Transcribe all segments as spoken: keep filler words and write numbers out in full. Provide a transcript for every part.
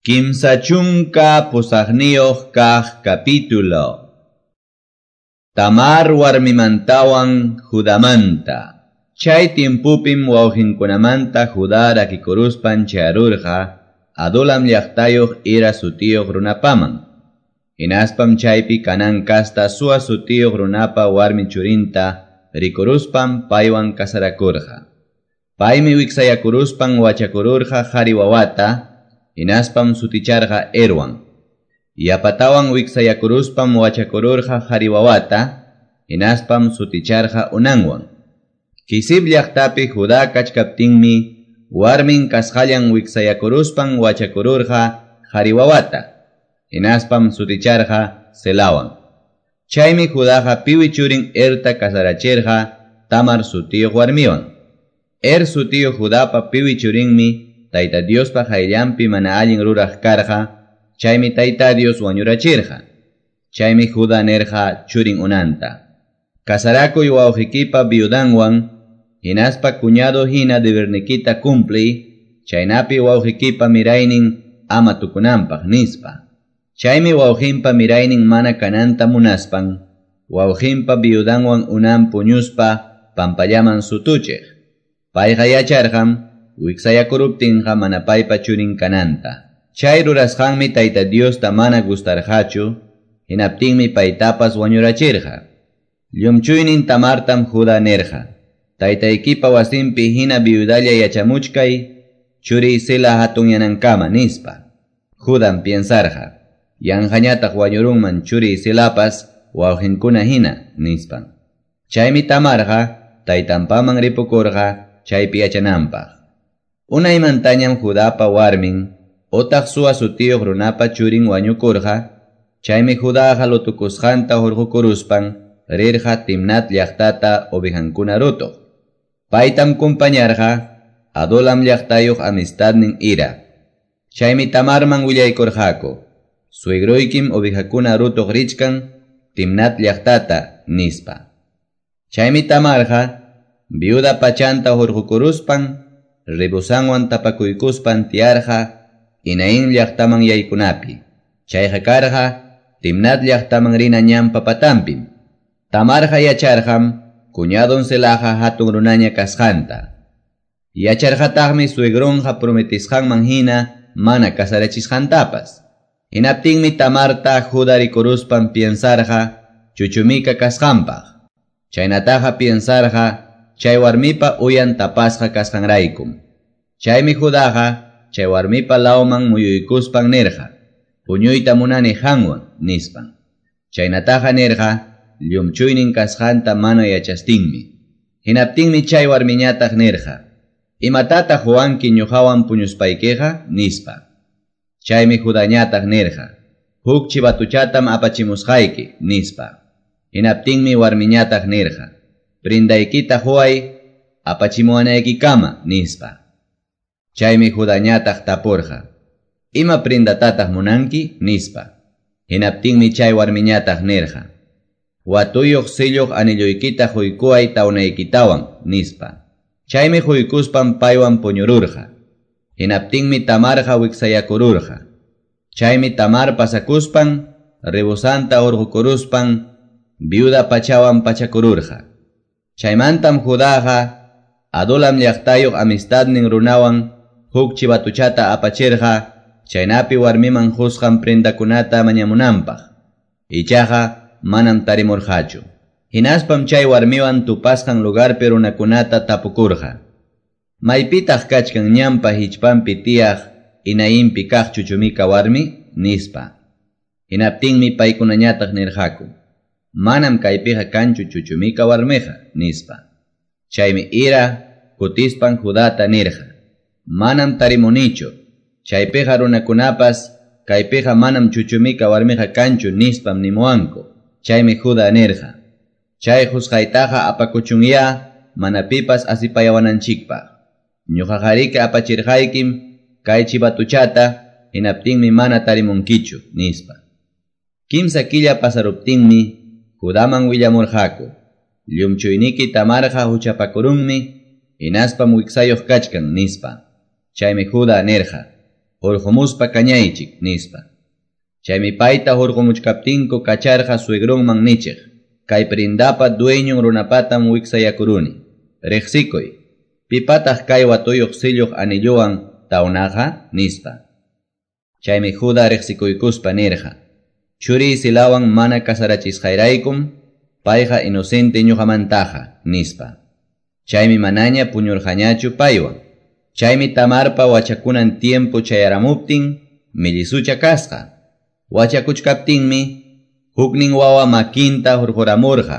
Kimsa chunka pusaqniyuq kaq capítulo. Tamar warmimantawan Judamanta. Chay tiempupim wawqinkunamanta Judá rakikuruspan chayarurqa Adulam llaqtayuq Hira sutiyuq runapaman. Hinaspam chaypi Canaán kasta Sua sutiyuq runapa warmi churinta rikuruspan paywan kasarakurqa. Paymi wiksayakuruspan wachakururqa qhari wawata, hinaspam suticharqa Erwan. Yapatawan wiksayakuruspam wachakururqa qhari wawata, hinaspam suticharqa Onanwan. Quezib llaqtapi Judá kachkaptinmi warmin kasqallan wiksayakuruspan wachakururqa qhari wawata, hinaspam suticharqa Selawan. Chaymi Judaqa piwi churin Erta kasarachirqa Tamar sutiyuq warmiwan. Er sutiyuq Judapa piwi churinmi Tayta Diospa qayllanpi mana allin ruraq karqa, chaymi Tayta Dios wañurachirqa. Chaymi Judá nirqa churin Onanta: Kasarakuy wawqikipa viudanwan, hinaspa cuñado hina debernikita cumpliy, chaynapi wawqikipa miraynin ama tukunanpaq, nispa. Chaymi wawqinpa miraynin mana kananta munaspan, wawqinpa viudanwan Onán puñuspa pampallaman sutuchiq. Payqa yacharqam wiksayakuruptinqa mana paypa churin kananta. Chay rurasqanmi Tayta Diosta mana gustarqachu, hinaptinmi paytapas wañurachirqa. Llumchuynin Tamartam Judá nirqa: Taytaykipa wasinpi hina viudalla yachamuchkay, churiy Sela hatunyanankama, nispa. Judam piensarqa: yanqañataq wañurunman churiy Selapas wawqinkuna hina, nispan. Chaymi Tamarqa taytanpaman ripukurqa chaypi yachananpaq. Unaymantañam Judapa warmin, otaq Sua sutiyuq runapa churin wañukurqa, chaymi Judaqa lutukusqanta hurqukuruspan rirqa Timnat llaqtata ovejankuna rutuq. Paytam kumpañarqa Adulam llaqtayuq amistadnin Hira. Chaymi Tamarman willaykurqaku: suegroykim ovejakuna rutuq richkan Timnat llaqtata, nispa. Chaymi Tamarqa viuda pachanta hurqukuruspan rebosanwan tapakuykuspan tiyarqa Enaim llaqtaman yaykunapi. Chayqa karqa Timnat llaqtaman rina ñanpa patanpim. Tamarqa yacharqam cuñadon Selaqa hatun runaña kasqanta. Yacharqataqmi suegronqa prometisqanman hina mana kasarachisqantapas. Hinaptinmi Tamarta Judá rikuruspan piensarqa chuchumika kasqanpaq. Chaynataqa piensarqa chay warmipa uyan tapasqa kasqanraykum. Chaymi Judaqa chay warmipa lawman muyuykuspan nirqa: puñuyta munani qanwan, nispan. Chaynataqa nirqa llumchuynin kasqanta mana yachastinmi. Hinaptinmi chay warmiñataq nirqa: imatataq huwanki ñuqawan puñuspaykiqa, nispa. Chaymi Judañataq nirqa: huk chivatuchatam apachimusqayki, nispa. Hinaptinmi warmiñataq nirqa: prindaykita huway apachimuwanaykikama, nispa. Chaymi Judañataq tapurqa: ima prindatataq munanki, nispa. Hinaptinmi chay warmiñataq nirqa: watuyuq silluq anilluykita huykuway tawnaykitawan, nispa. Chaymi huykuspan paywan puñururqa. Hinaptinmi Tamarqa wiksayakururqa. Chaymi Tamar pasakuspan rebosanta hurqukuruspan viuda pachawan pachakururqa. Chaymantam Judaqa Adulam llaqtayuq amistadnin runawan huk chivatuchata apachirqa chaynapi warmiman qusqan prendakunata mañamunanpaq. Ichaqa manam tarimurqachu. Hinaspam chay warmiwan tupasqan lugarpi runakunata tapukurqa: maypitaq kachkan ñanpa hichpanpi tiyaq Enaimpi kaq chuchumika warmi, nispa. Hinaptinmi paykunañataq nirqaku: manam kaypiqa kanchu chuchumika warmiqa, nispa. Chaymi Hira kutispan Judata nirqa: manam tarimunichu, chaypiqa runakunapas kaypiqa manam chuchumika warmiqa kanchu, nispam nimuwanku. Chaymi Judá nirqa: chay qusqaytaqa apakuchunya mana pipas asipayawananchikpaq. Ñuqaqariki apachirqaykim kay chivatuchata, hinaptinmi mana tarimunkichu, nispa. Kimsa killa pasaruptinmi Judaman willamurqaku: llumchuyniki Tamarqa huchapakurunmi, hinaspam wiksayuq kachkan, nispa. Chaymi Judá nirqa: Hurqumuspa kañaychik, nispa. Chaymi payta hurqumuchkaptinku kacharqa suegronman nichiq. Kay prendapa dueñon runapatam wiksayakuruni. Riqsikuy. Pipataq kay watuyuq silluq anilluwan tawnaqa, nispa. Chaymi Juda riqsikuykuspa nirqa. Churiy Selawan mana kasarachisqayraykum, payqa inocente ñuqamantaqa, nispa. Chaymi manaña puñurqañachu paywan. Chaymi Tamarpa wachakunan tiempo chayaramuptin, millisucha kasqa. Wachakuchkaptinmi, huknin wawa makinta hurquramurqa.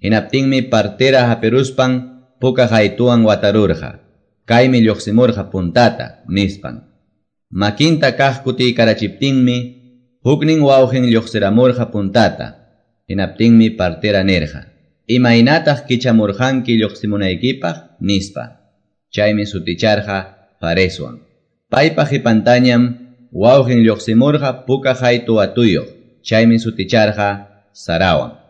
Hinaptinmi partera hapiruspan puka haytuwan watarurqa. Kaymi lluqsimurqa puntata, nispan. Makinta kaq kutiykarachiptinmi, huknin wawqin lluqsiramurqa puntata. Hinaptinmi partera nirqa. Imaynataq kichamurqanki lluqsimunaykipaq, nispa. Chaymi suticharqa Fareswan. Paypa qipantañam wawqin lluqsimurqa puka haytu watuyuq. Chaymi suticharqa Zarawan.